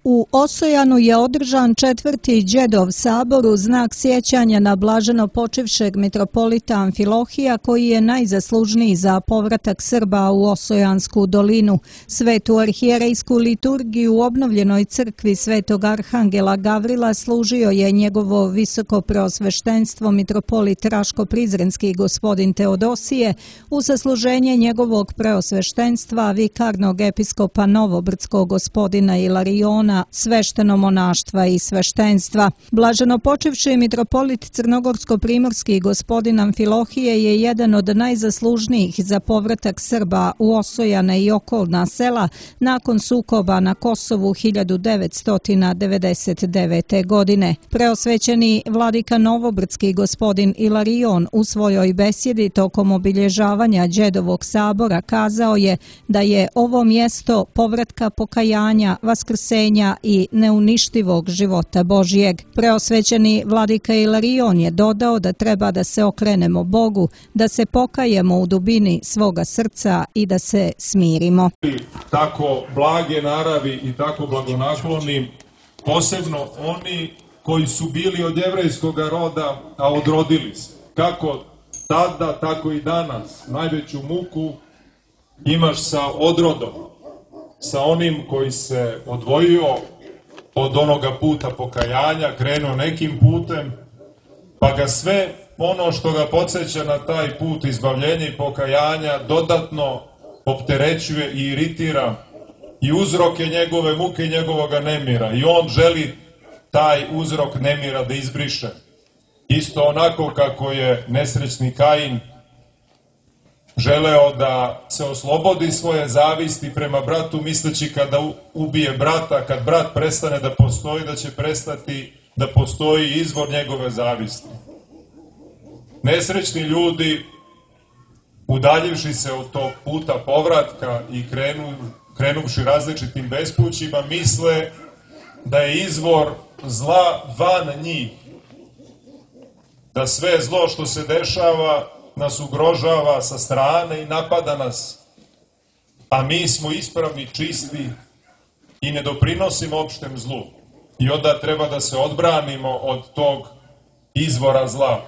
U Osojanu je održan 4. Đedov sabor u znak sjećanja na blaženo počivšeg mitropolita Amfilohija, koji je najzaslužniji za povratak Srba u Osojansku dolinu. Svetu arhijerejsku liturgiju u obnovljenoj crkvi Svetog Arhangela Gavrila služio je njegovo visoko preosveštenstvo mitropolit Raško-Prizrenski gospodin Teodosije, u sasluženje njegovog preosveštenstva vikarnog episkopa Novobrdskog gospodina Ilariona, sveštenomonaštva i sveštenstva. Blaženo počivši mitropolit Crnogorsko-primorski gospodin Amfilohije je jedan od najzaslužnijih za povratak Srba u Osojane i okolna sela nakon sukoba na Kosovu 1999. godine. Preosvećeni vladika Novobrdski gospodin Ilarion u svojoj besjedi tokom obilježavanja Đedovog sabora kazao je da je ovo mjesto povratka pokajanja, vaskrsenja i neuništivog života Božijeg. Preosvećeni vladika Ilarion je dodao da treba da se okrenemo Bogu, da se pokajemo u dubini svoga srca i da se smirimo. Tako blage naravi i tako blagonakloni, posebno oni koji su bili od jevrejskog roda, a odrodili se. Kako tada, tako i danas najveću muku imaš sa odrodom, sa onim koji se odvojio od onoga puta pokajanja, krenuo nekim putem, pa ga sve ono što ga podsjeća na taj put izbavljenja i pokajanja dodatno opterećuje i iritira i uzroke njegove muke i njegovoga nemira. I on želi taj uzrok nemira da izbriše. Isto onako kako je nesrećni Kain želeo da se oslobodi svoje zavisti prema bratu, misleći kada ubije brata, kad brat prestane da postoji, da će prestati da postoji izvor njegove zavisti. Nesrećni ljudi, udaljivši se od tog puta povratka i krenuvši različitim bespućima, misle da je izvor zla van njih, da sve zlo što se dešava nas ugrožava sa strane i napada nas, a mi smo ispravni, čisti i ne doprinosimo opštem zlu. I onda treba da se odbranimo od tog izvora zla.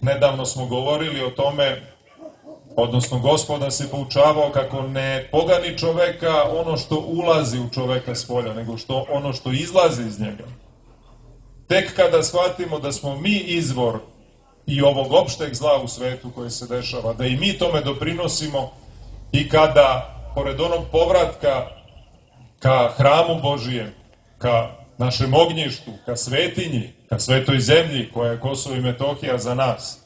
Nedavno smo govorili o tome, odnosno Gospod nas je poučavao kako ne pogani čoveka ono što ulazi u čoveka s polja, nego ono što izlazi iz njega. Tek kada shvatimo da smo mi izvor i ovog opšteg zla u svetu koje se dešava, da i mi tome doprinosimo i kada, pored onog povratka ka hramu Božijem, ka našem ognjištu, ka svetinji, ka svetoj zemlji koja je Kosovo i Metohija za nas,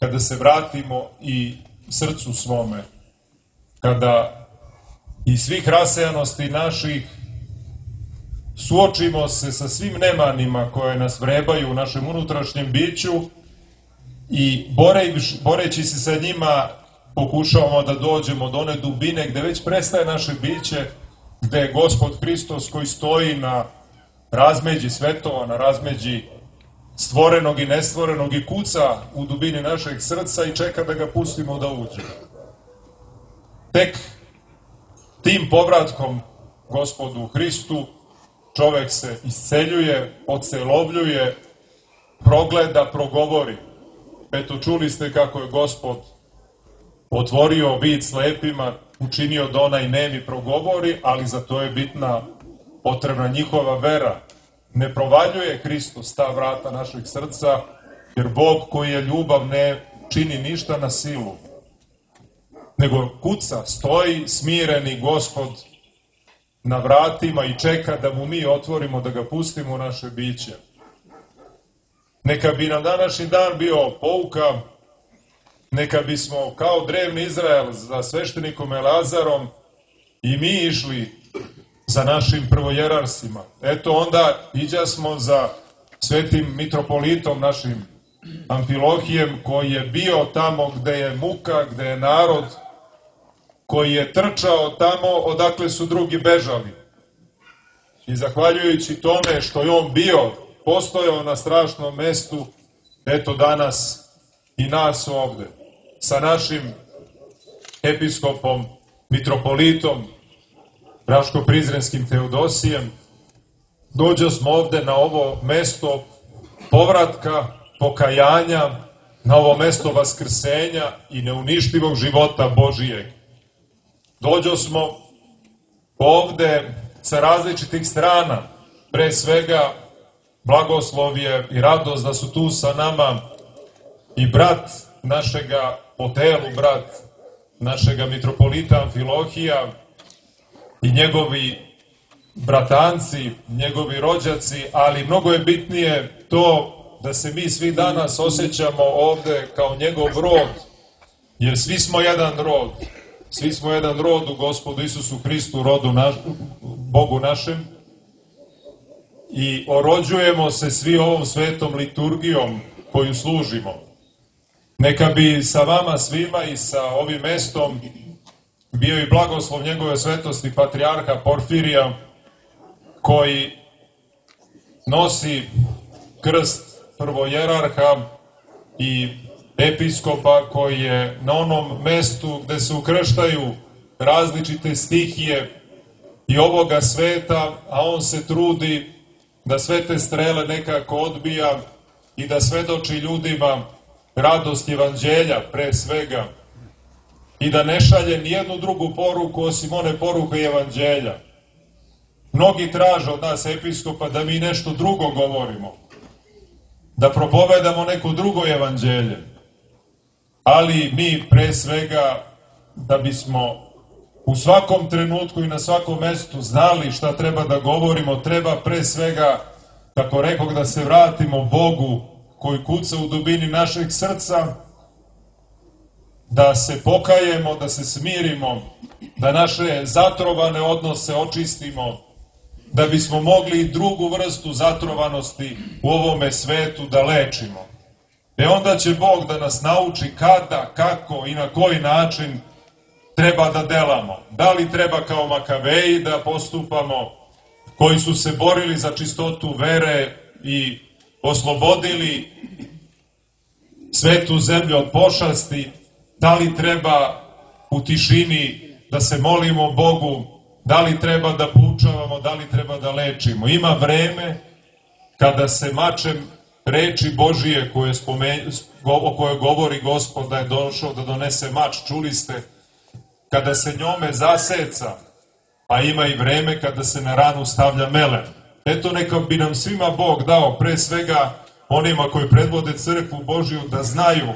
kada se vratimo i srcu svome, kada iz svih rasejanosti naših suočimo se sa svim nemanima koje nas vrebaju u našem unutrašnjem biću i boreći se sa njima pokušavamo da dođemo do one dubine gde već prestaje naše biće, gde je Gospod Hristos koji stoji na razmeđi svetova, na razmeđi stvorenog i nestvorenog i kuca u dubini našeg srca i čeka da ga pustimo da uđe. Tek tim povratkom Gospodu Hristu čovek se isceljuje, ocelovljuje, progleda, progovori. Eto, čuli ste kako je Gospod otvorio vid slepima, učinio da onaj nemi progovori, ali za to je potrebna njihova vera. Ne provaljuje Hristos ta vrata našeg srca, jer Bog koji je ljubav ne čini ništa na silu, nego kuca, stoji smireni Gospod na vratima i čeka da mu mi otvorimo, da ga pustimo u naše biće. Neka bi nam današnji dan bio pouka, neka bismo kao drevni Izrael za sveštenikom Elazarom i mi išli za našim prvojerarsima. Eto onda iđasmo za svetim mitropolitom našim Amfilohijem, koji je bio tamo gde je muka, gde je narod, koji je trčao tamo odakle su drugi bežali. I zahvaljujući tome što je on bio, postojao na strašnom mestu, eto danas i nas ovde, sa našim episkopom, mitropolitom, Raško-Prizrenskim Teodosijem, dođo smo ovde na ovo mesto povratka, pokajanja, na ovo mesto vaskrsenja i neuništivog života Božijeg. Dođo smo ovde sa različitih strana, pre svega blagoslov je i radost da su tu sa nama i brat našega po telu, brat našega mitropolita Amfilohija i njegovi bratanci, njegovi rođaci, ali mnogo je bitnije to da se mi svi danas osjećamo ovde kao njegov rod, jer svi smo jedan rod. Svi smo jedan rod u Gospodu Isusu Hristu, rodu Bogu našem, i orođujemo se svi ovom svetom liturgijom koju služimo. Neka bi sa vama svima i sa ovim mestom bio i blagoslov njegove svetosti patrijarha Porfirija, koji nosi krst prvojerarha i episkopa, koji je na onom mestu gde se ukrštaju različite stihije i ovoga sveta, a on se trudi da sve te strele nekako odbija i da svedoči ljudima radost evanđelja pre svega i da ne šalje nijednu drugu poruku osim one poruke evanđelja. Mnogi traže od nas episkopa da mi nešto drugo govorimo, da propovedamo neko drugo evanđelje, ali mi pre svega da bismo u svakom trenutku i na svakom mestu znali šta treba da govorimo, treba pre svega, kako rekoh, da se vratimo Bogu koji kuca u dubini našeg srca, da se pokajemo, da se smirimo, da naše zatrovane odnose očistimo, da bismo mogli i drugu vrstu zatrovanosti u ovome svetu da lečimo. Onda će Bog da nas nauči kada, kako i na koji način treba da delamo. Da li treba kao Makaveji da postupamo, koji su se borili za čistotu vere i oslobodili svetu zemlju od pošasti, da li treba u tišini da se molimo Bogu, da li treba da poučavamo, da li treba da lečimo. Ima vreme kada se mačem reči Božije o kojoj govori Gospod da je došao da donese mač, čuli ste, kada se njome zaseca, a ima i vreme kada se na ranu stavlja melem. Eto, neka bi nam svima Bog dao, pre svega onima koji predvode crkvu Božiju, da znaju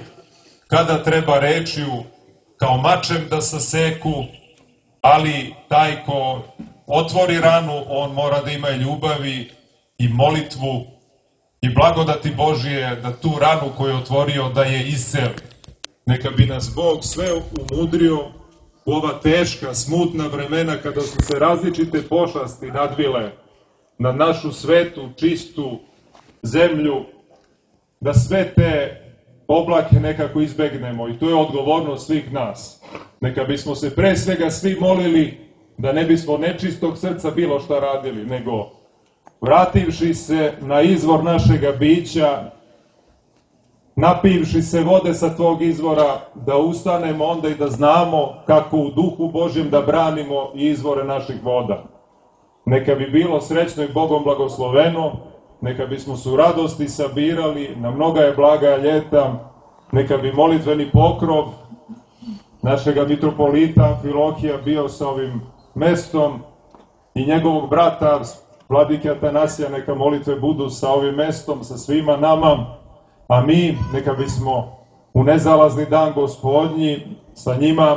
kada treba rečju kao mačem da saseku, ali taj ko otvori ranu, on mora da ima ljubavi i molitvu i blagodati Božije da tu ranu koju je otvorio da je isceli. Neka bi nas Bog sve umudrio u ova teška, smutna vremena kada su se različite pošasti nadvile na našu svetu, čistu zemlju, da sve te oblake nekako izbegnemo i to je odgovornost svih nas. Neka bismo se pre svega svi molili da ne bismo nečistog srca bilo šta radili, nego vrativši se na izvor našega bića, napivši se vode sa tvog izvora, da ustanemo onda i da znamo kako u duhu Božjem da branimo izvore naših voda. Neka bi bilo srećno i Bogom blagosloveno, neka bismo se u radosti sabirali, na mnoga je blaga ljeta, neka bi molitveni pokrov našega mitropolita Amfilohija bio sa ovim mestom i njegovog brata, vladike Atanasija, neka molitve budu sa ovim mestom, sa svima nama, a mi neka bismo u nezalazni dan Gospodnji sa njima,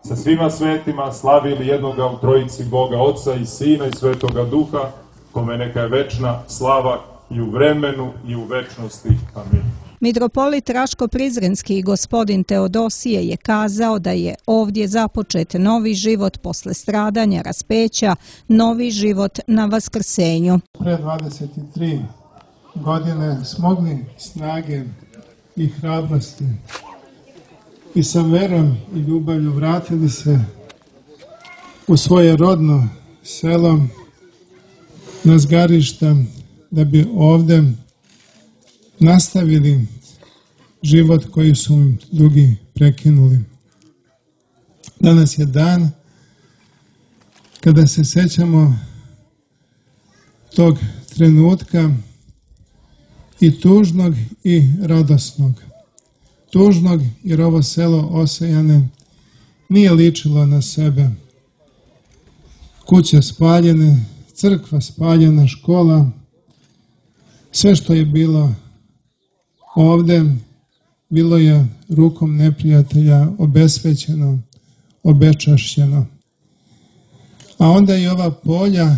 sa svima svetima slavili jednoga u trojici Boga Oca i Sina i Svetoga Duha, kome neka je večna slava i u vremenu i u večnosti. Amin. Mitropolit Raško-Prizrenski gospodin Teodosije je kazao da je ovdje započet novi život posle stradanja, raspeća, novi život na Vaskrsenju. Pre 23 godine smogli snage i hrabrosti i sa verom i ljubavlju vratili se u svoje rodno selo na Zgarišta da bi ovde nastavili život koji su im drugi prekinuli. Danas je dan kada se sećamo tog trenutka i tužnog i radosnog. Tužnog jer ovo selo Osejane nije ličilo na sebe. Kuće spaljene, crkva spaljena, škola, sve što je bilo ovde bilo je rukom neprijatelja obesvećeno, obečašćeno. A onda i ova polja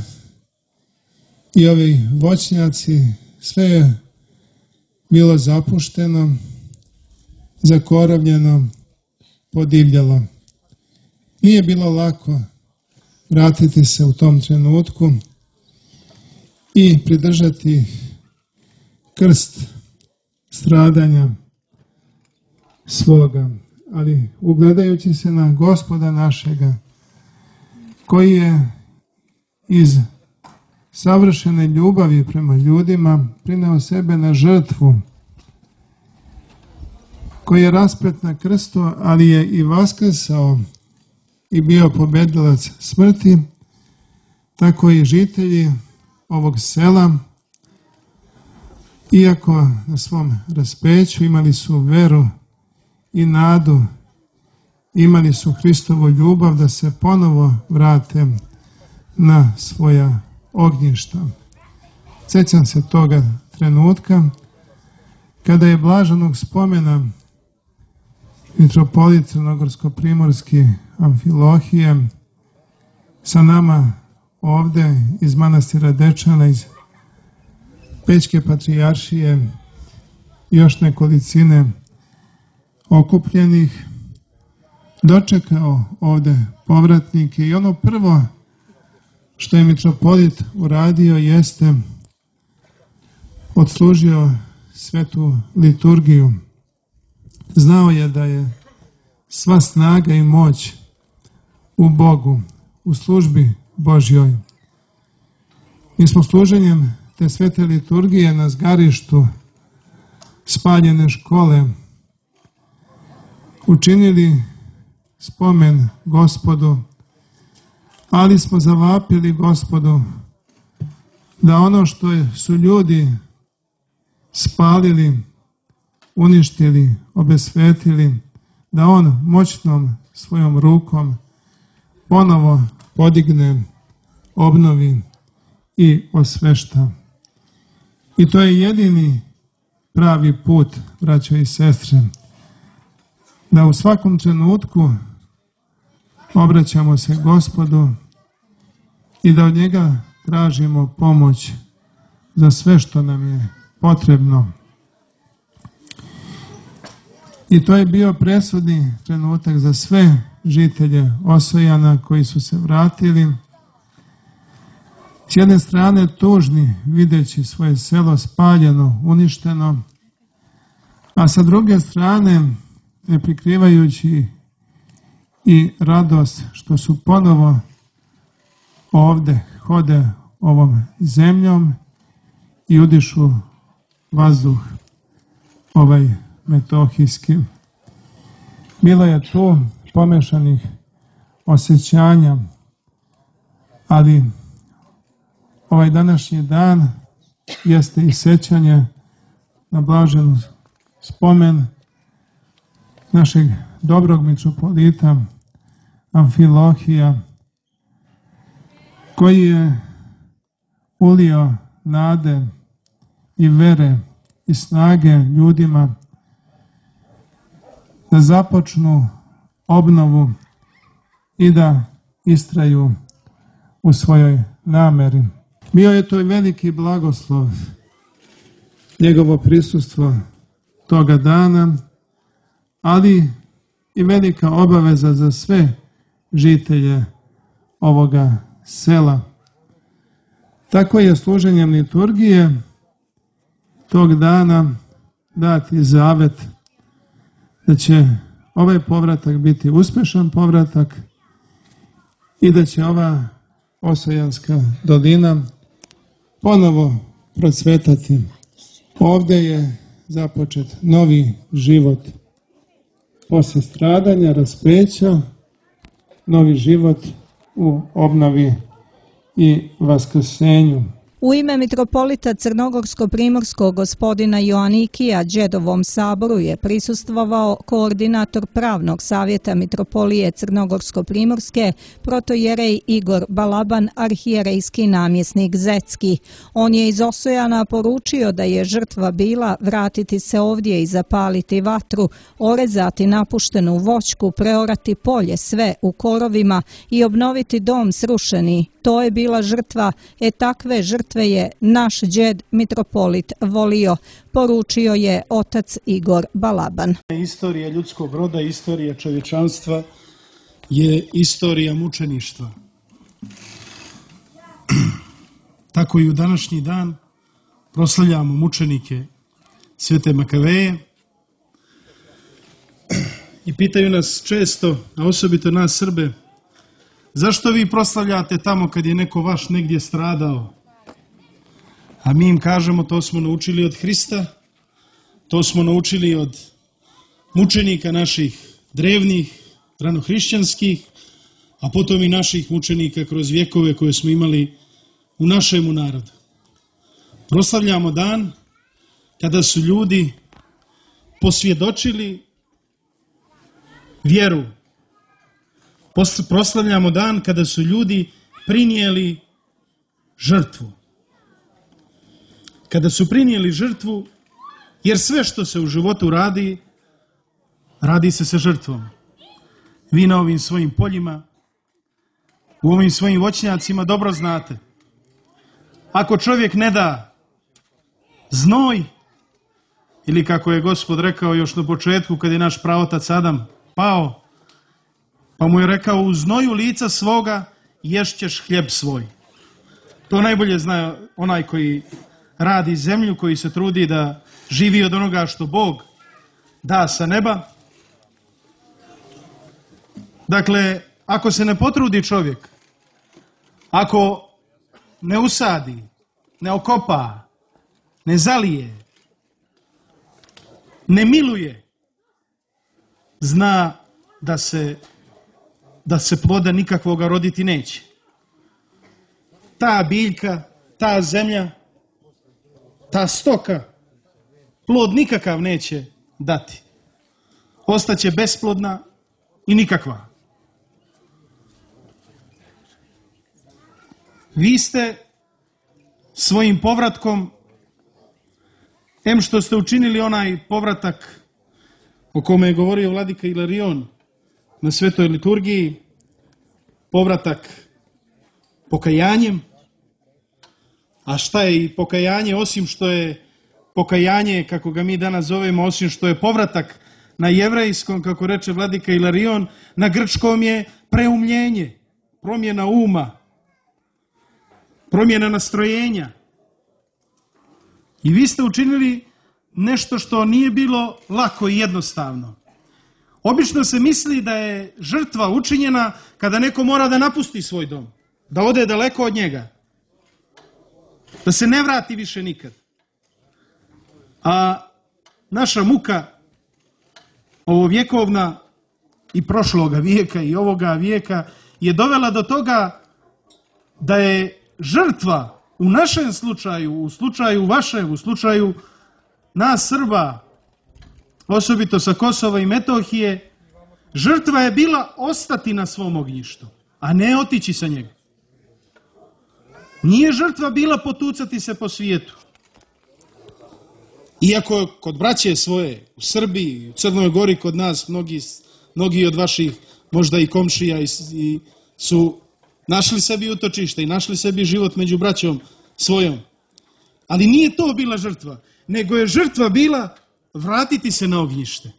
i ovi voćnjaci, sve je bilo zapušteno, zakorovljeno, podivljalo. Nije bilo lako vratiti se u tom trenutku i pridržati krst stradanja svoga, ali ugledajući se na Gospoda našega, koji je iz savršene ljubavi prema ljudima prineo sebe na žrtvu, koji je raspet na krstu, ali je i vaskrsao i bio pobedilac smrti, tako i žitelji ovog sela, iako na svom raspeću imali su veru i nadu, imali su Hristovu ljubav da se ponovo vrate na svoja ognjišta. Sjećam se toga trenutka kada je blaženog spomena mitropolit crnogorsko-primorski Amfilohije sa nama ovde iz manastira Dečana, iz Pećke patrijaršije i još nekolicine okupljenih, dočekao ovde povratnike i ono prvo što je mitropolit uradio jeste odslužio svetu liturgiju. Znao je da je sva snaga i moć u Bogu, u službi Božjoj. Mi smo služenjem te svete liturgije na zgarištu spaljene škole učinili spomen Gospodu, ali smo zavapili Gospodu da ono što su ljudi spalili, uništili, obesvetili, da on moćnom svojom rukom ponovo podigne, obnovi i osvešta. I to je jedini pravi put, braćo i sestre, da u svakom trenutku obraćamo se Gospodu i da od njega tražimo pomoć za sve što nam je potrebno. I to je bio presudni trenutak za sve žitelje Osojana koji su se vratili. S jedne strane tužni, videći svoje selo spaljeno, uništeno, a sa druge strane ne prikrivajući i radost što su ponovo ovde, hode ovom zemljom i udišu vazduh ovaj metohijski. Bilo je tu pomešanih osjećanja, ali ovaj današnji dan jeste i sećanje na blažen spomen našeg dobrog mitropolita Amfilohija, koji je ulio nade i vere i snage ljudima da započnu obnovu i da istraju u svojoj nameri. Bio je to i veliki blagoslov, njegovo prisustvo toga dana, ali i velika obaveza za sve žitelje ovoga sela. Tako je služenjem liturgije tog dana dati zavet da će ovaj povratak biti uspešan povratak i da će ova Osojanska dolina ponovo procvetati. Ovde je započet novi život posle stradanja, raspeća, novi život u obnovi i vaskrsenju. U ime mitropolita Crnogorsko-primorskog gospodina Joanikija Đedovom saboru je prisustvovao koordinator pravnog savjeta mitropolije Crnogorsko-primorske, protojerej Igor Balaban, arhijerejski namjesnik Zecki. On je iz Osojana poručio da je žrtva bila vratiti se ovdje i zapaliti vatru, orezati napuštenu voćku, preorati polje sve u korovima i obnoviti dom srušeni. To je bila žrtva, takve žrtve je naš đed mitropolit volio, poručio je otac Igor Balaban. Istorija ljudskog roda, istorija čovječanstva je istorija mučeništva. Tako i u današnji dan proslavljamo mučenike Svete Makaveje i pitaju nas često, a osobito nas Srbe, zašto vi proslavljate tamo kad je neko vaš negdje stradao? A mi im kažemo, to smo naučili od Hrista, to smo naučili od mučenika naših drevnih, ranohrišćanskih, a potom i naših mučenika kroz vjekove koje smo imali u našemu narodu. Proslavljamo dan kada su ljudi posvjedočili vjeru. Proslavljamo dan kada su ljudi prinijeli žrtvu. Kada su prinijeli žrtvu, jer sve što se u životu radi, radi se sa žrtvom. Vi na ovim svojim poljima, u ovim svojim voćnjacima dobro znate. Ako čovjek ne da znoj, ili kako je Gospod rekao još na početku kad je naš praotac Adam pao, pa mu je rekao, u znoju lica svoga ješćeš hljeb svoj. To najbolje zna onaj koji radi zemlju, koji se trudi da živi od onoga što Bog da sa neba. Dakle, ako se ne potrudi čovjek, ako ne usadi, ne okopa, ne zalije, ne miluje, zna da se ploda nikakvoga roditi neće. Ta biljka, ta zemlja, ta stoka, plod nikakav neće dati. Ostaće besplodna i nikakva. Vi ste svojim povratkom, em što ste učinili onaj povratak o kome je govorio vladika Ilarion na svetoj liturgiji, povratak pokajanjem. A šta je i pokajanje, osim što je pokajanje, kako ga mi danas zovemo, osim što je povratak na jevrejskom, kako reče vladika Ilarion, na grčkom je preumljenje, promjena uma, promjena nastrojenja. I vi ste učinili nešto što nije bilo lako i jednostavno. Obično se misli da je žrtva učinjena kada neko mora da napusti svoj dom, da ode daleko od njega, da se ne vrati više nikad. A naša muka, ovovjekovna i prošloga vijeka i ovoga vijeka, je dovela do toga da je žrtva u našem slučaju, u slučaju vašem, u slučaju nas Srba, osobito sa Kosova i Metohije, žrtva je bila ostati na svom ognjištu, a ne otići sa njega. Nije žrtva bila potucati se po svijetu. Iako kod braće svoje, u Srbiji, u Crnoj Gori, kod nas, mnogi od vaših, možda i komšija, su našli sebi utočište i našli sebi život među braćom svojom. Ali nije to bila žrtva, nego je žrtva bila vratiti se na ognjište.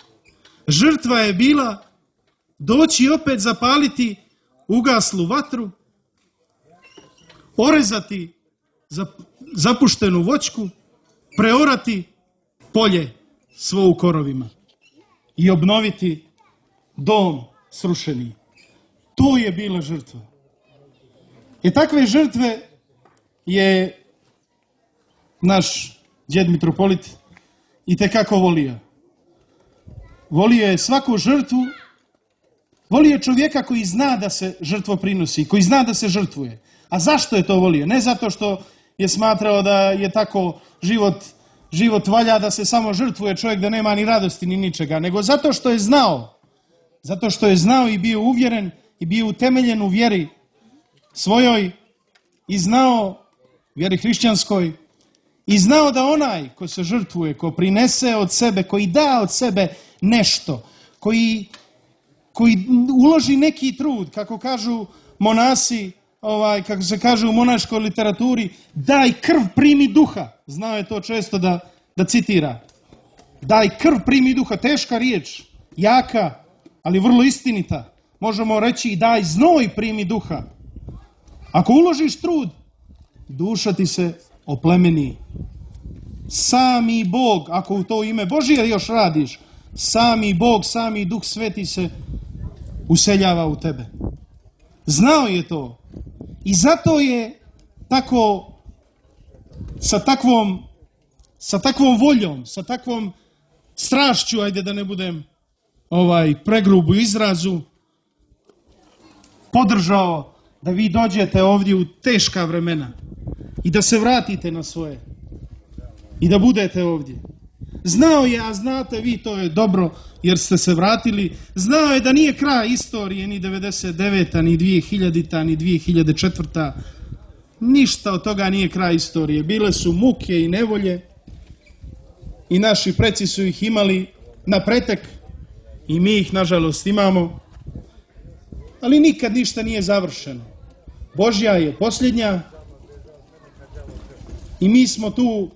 Žrtva je bila doći opet zapaliti ugaslu vatru, orezati zapuštenu voćku, preorati polje svo u korovima i obnoviti dom srušeni. To je bila žrtva. I takve žrtve je naš đed mitropolit itekako volio. Volio je svaku žrtvu Volio je čovjeka koji zna da se žrtvo prinosi, koji zna da se žrtvuje. A zašto je to volio? Ne zato što je smatrao da je tako život valja da se samo žrtvuje čovjek, da nema ni radosti ni ničega, nego zato što je znao. Zato što je znao i bio uvjeren i bio utemeljen u vjeri svojoj i znao vjeri hrišćanskoj i znao da onaj ko se žrtvuje, ko prinese od sebe, koji da od sebe nešto, koji uloži neki trud, kako kažu monasi, kako se kaže u monaškoj literaturi, daj krv, primi duha. Znao je to često da citira. Daj krv, primi duha. Teška riječ, jaka, ali vrlo istinita. Možemo reći i daj znoj, primi duha. Ako uložiš trud, duša ti se oplemeni. Sami Bog, ako u to ime Božije još radiš, sami Bog, sami Duh Sveti se useljava u tebe. Znao je to. I zato je tako, sa takvom voljom, sa takvom strašću, ajde da ne budem pregrubu izrazu, podržao da vi dođete ovdje u teška vremena i da se vratite na svoje i da budete ovdje. Znao je, a znate vi, to je dobro jer ste se vratili, znao je da nije kraj istorije ni 99. ni 2000. ni 2004. Ništa od toga nije kraj istorije. Bile su muke i nevolje i naši preci su ih imali na pretek i mi ih nažalost imamo, ali nikad ništa nije završeno. Božja je posljednja i mi smo tu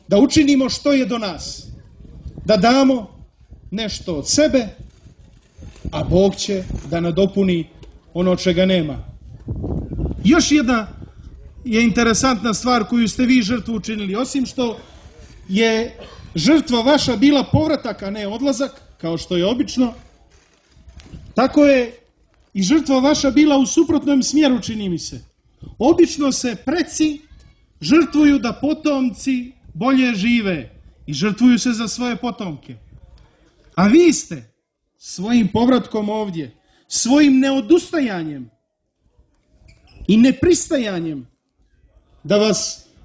da učinimo što je do nas, da damo nešto od sebe, a Bog će da nadopuni ono čega nema. Još jedna je interesantna stvar koju ste vi žrtvu učinili. Osim što je žrtva vaša bila povratak, a ne odlazak, kao što je obično, tako je i žrtva vaša bila u suprotnom smjeru, čini mi se. Obično se preci žrtvuju da potomci bolje žive i žrtvuju se za svoje potomke. A vi ste svojim povratkom ovdje, svojim neodustajanjem i nepristajanjem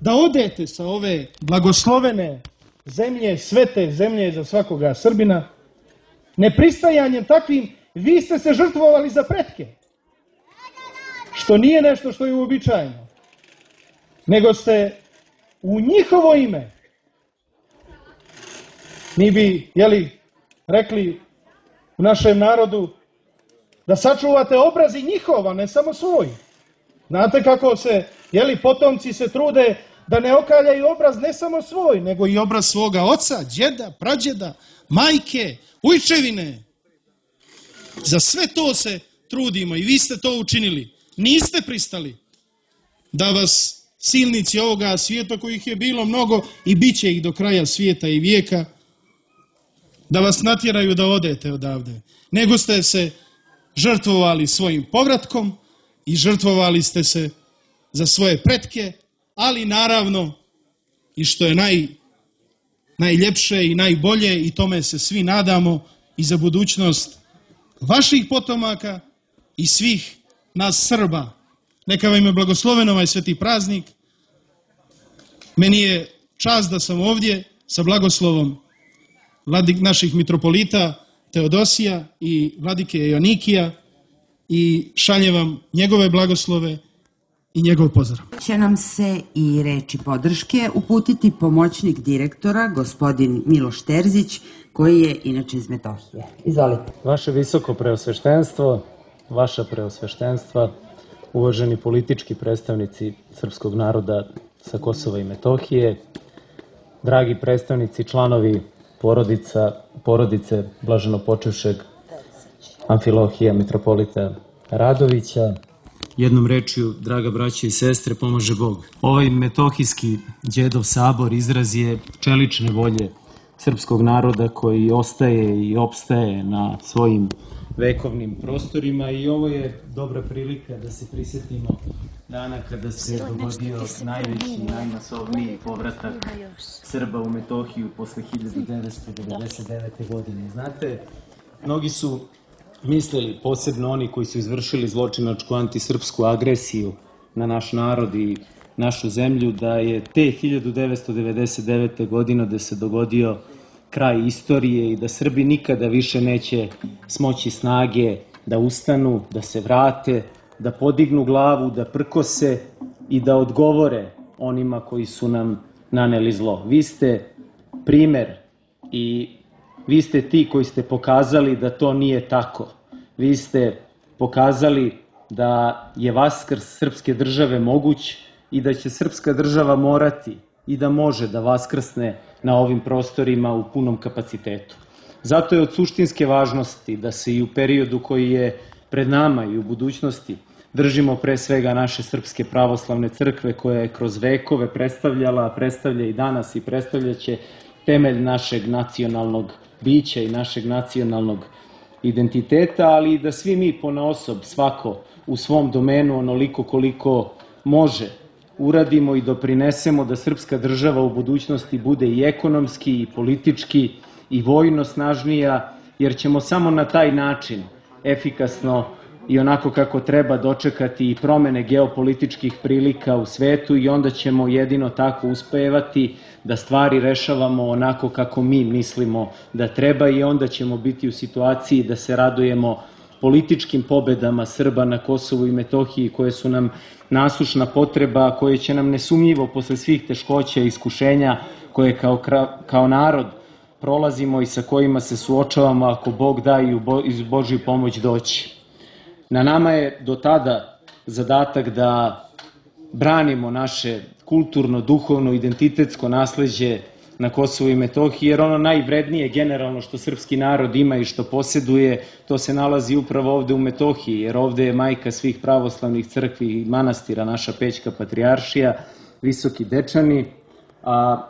da odete sa ove blagoslovene zemlje, svete zemlje za svakoga Srbina, nepristajanjem takvim, vi ste se žrtvovali za pretke. Što nije nešto što je uobičajeno. Nego ste u njihovo ime, mi bi, rekli u našem narodu, da sačuvate obraz i njihova, ne samo svoj. Znate kako se, potomci se trude da ne okaljaju obraz ne samo svoj, nego i obraz svoga oca, djeda, prađeda, majke, ujčevine. Za sve to se trudimo i vi ste to učinili. Niste pristali da vas silnici ovoga svijeta, kojih je bilo mnogo i bit će ih do kraja svijeta i vijeka, da vas natjeraju da odete odavde. Nego ste se žrtvovali svojim povratkom i žrtvovali ste se za svoje pretke, ali naravno i što je najljepše i najbolje, i tome se svi nadamo, i za budućnost vaših potomaka i svih nas Srba. Neka vam je blagosloven ovaj sveti praznik. Meni je čast da sam ovdje sa blagoslovom naših mitropolita Teodosija i vladike Joanikija i šaljem vam njegove blagoslove i njegov pozdrav. Će nam se i reči podrške uputiti pomoćnik direktora, gospodin Miloš Terzić, koji je inače iz Metohije. Izvolite. Vaše visoko preosveštenstvo, vaša preosveštenstva, uvaženi politički predstavnici srpskog naroda sa Kosova i Metohije, dragi predstavnici, članovi porodice blaženopočevšeg Amfilohija mitropolita Radovića, jednom rečju, draga braća i sestre, pomaže Bog. Ovaj metohijski Đedov sabor izraz je čelične volje srpskog naroda koji ostaje i opstaje na svojim vekovnim prostorima i ovo je dobra prilika da se prisjetimo dana kada se dogodio najveći i najmasovniji povratak Srba u Metohiju posle 1999. godine. Znate, mnogi su mislili, posebno oni koji su izvršili zločinačku antisrpsku agresiju na naš narod i našu zemlju, da je te 1999. godine da se dogodio kraj istorije i da Srbi nikada više neće smoći snage da ustanu, da se vrate, da podignu glavu, da prkose i da odgovore onima koji su nam naneli zlo. Vi ste primer i vi ste ti koji ste pokazali da to nije tako. Vi ste pokazali da je vaskrs srpske države moguć i da će srpska država morati i da može da vaskrsne na ovim prostorima u punom kapacitetu. Zato je od suštinske važnosti da se i u periodu koji je pred nama i u budućnosti držimo pre svega naše Srpske pravoslavne crkve koja je kroz vekove predstavljala, predstavlja i danas i predstavljaće temelj našeg nacionalnog bića i našeg nacionalnog identiteta, ali i da svi mi ponaosob, svako u svom domenu, onoliko koliko može, uradimo i doprinesemo da srpska država u budućnosti bude i ekonomski, i politički, i vojno snažnija, jer ćemo samo na taj način efikasno i onako kako treba dočekati i promene geopolitičkih prilika u svetu i onda ćemo jedino tako uspevati da stvari rešavamo onako kako mi mislimo da treba i onda ćemo biti u situaciji da se radujemo političkim pobedama Srba na Kosovu i Metohiji koje su nam nasušna potreba, koje će nam nesumnjivo posle svih teškoća i iskušenja koje kao narod prolazimo i sa kojima se suočavamo, ako Bog da i uz Božju pomoć doći. Na nama je do tada zadatak da branimo naše kulturno, duhovno, identitetsko nasleđe na Kosovu i Metohiji, jer ono najvrednije generalno što srpski narod ima i što poseduje, to se nalazi upravo ovde u Metohiji, jer ovde je majka svih pravoslavnih crkvi i manastira, naša Pećka patrijaršija, Visoki Dečani, a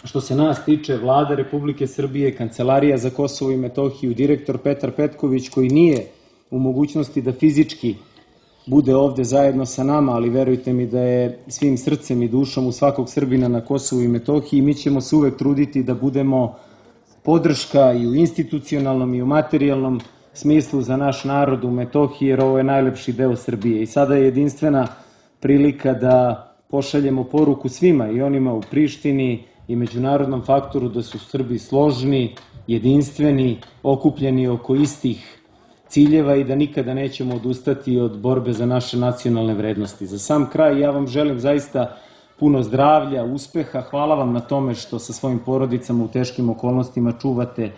što se nas tiče, Vlada Republike Srbije, Kancelarija za Kosovo i Metohiju, direktor Petar Petković, koji nije u mogućnosti da fizički bude ovde zajedno sa nama, ali verujte mi da je svim srcem i dušom u svakog Srbina na Kosovu i Metohiji. Mi ćemo se uvek truditi da budemo podrška i u institucionalnom i u materijalnom smislu za naš narod u Metohiji, jer ovo je najlepši deo Srbije. I sada je jedinstvena prilika da pošaljemo poruku svima, i onima u Prištini i međunarodnom faktoru, da su Srbi složni, jedinstveni, okupljeni oko istih ciljeva i da nikada nećemo odustati od borbe za naše nacionalne vrednosti. Za sam kraj ja vam želim zaista puno zdravlja, uspeha, hvala vam na tome što sa svojim porodicama u teškim okolnostima čuvate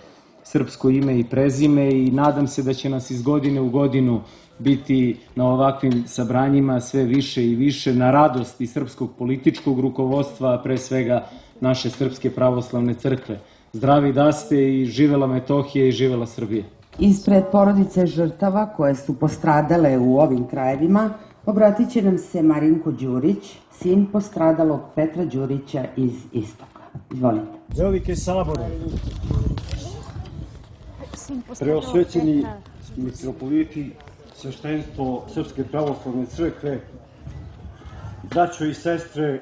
srpsko ime i prezime i nadam se da će nas iz godine u godinu biti na ovakvim sabranjima sve više i više na radost i srpskog političkog rukovodstva, a pre svega naše Srpske pravoslavne crkve. Zdravi da ste i živela Metohija i živela Srbija. Ispred porodice žrtava koje su postradale u ovim krajevima, obratit će nam se Marinko Đurić, sin postradalog Petra Đurića iz Istoka. Izvolite. Velike sabore, preosvećeni mitropoliti, sveštenstvo Srpske pravoslavne crkve, braćo i sestre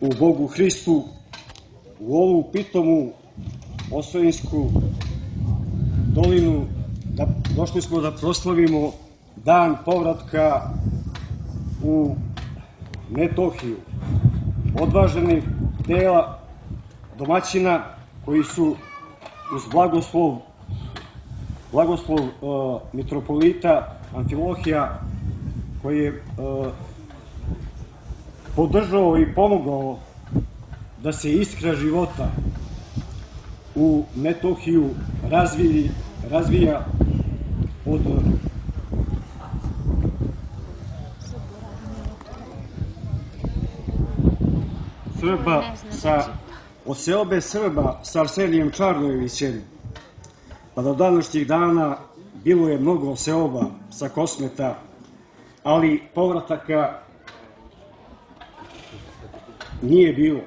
u Bogu Hristu, u ovu pitomu Osojensku dolinu, došli smo da proslavimo dan povratka u Metohiju, odvaženih dela domaćina koji su uz blagoslov mitropolita Amfilohija, koji je podržao i pomogao da se iskra života u Metohiju razvija od Srba od seobe Srba sa Arsenijem Čarnojevićem pa do današnjih dana bilo je mnogo seoba sa Kosmeta, ali povrataka nije bilo.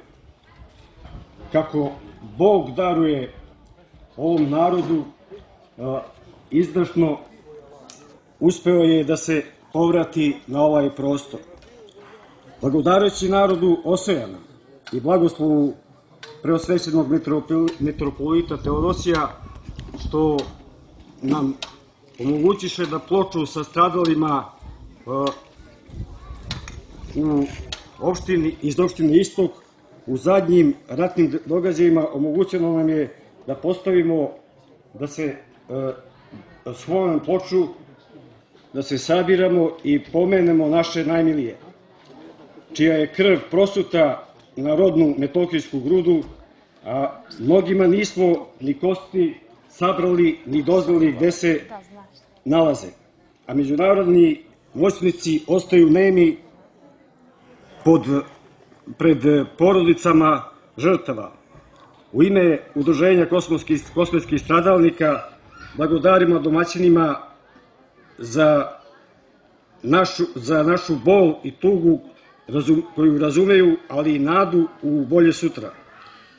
Kako Bog daruje ovom narodu, izdašno uspeo je da se povrati na ovaj prostor. Blagodareći narodu Osojana i blagoslovu preosvećenog mitropolita Teodosija, što nam omogućiše da ploču sa stradalima iz opštine Istok u zadnjim ratnim događajima omogućeno nam je da postavimo, da se spomen ploču, da se sabiramo i pomenemo naše najmilije, čija je krv prosuta na rodnu metohijsku grudu, a mnogima nismo ni kosti sabrali ni doznali gde se nalaze, a međunarodni moćnici ostaju nemi pred porodicama žrtava. U ime Udruženja kosmetskih stradalnika blagodarimo domaćinima za našu bol i tugu koju razumeju, ali i nadu u bolje sutra.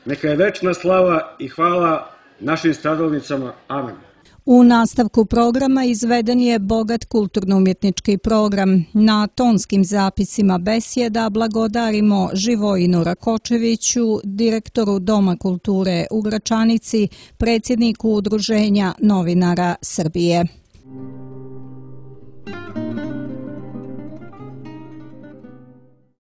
Neka je večna slava i hvala našim stradalnicama. Amen. U nastavku programa izveden je bogat kulturno-umjetnički program. Na tonskim zapisima besjeda blagodarimo Živojinu Rakočeviću, direktoru Doma kulture u Gračanici, predsjedniku Udruženja novinara Srbije.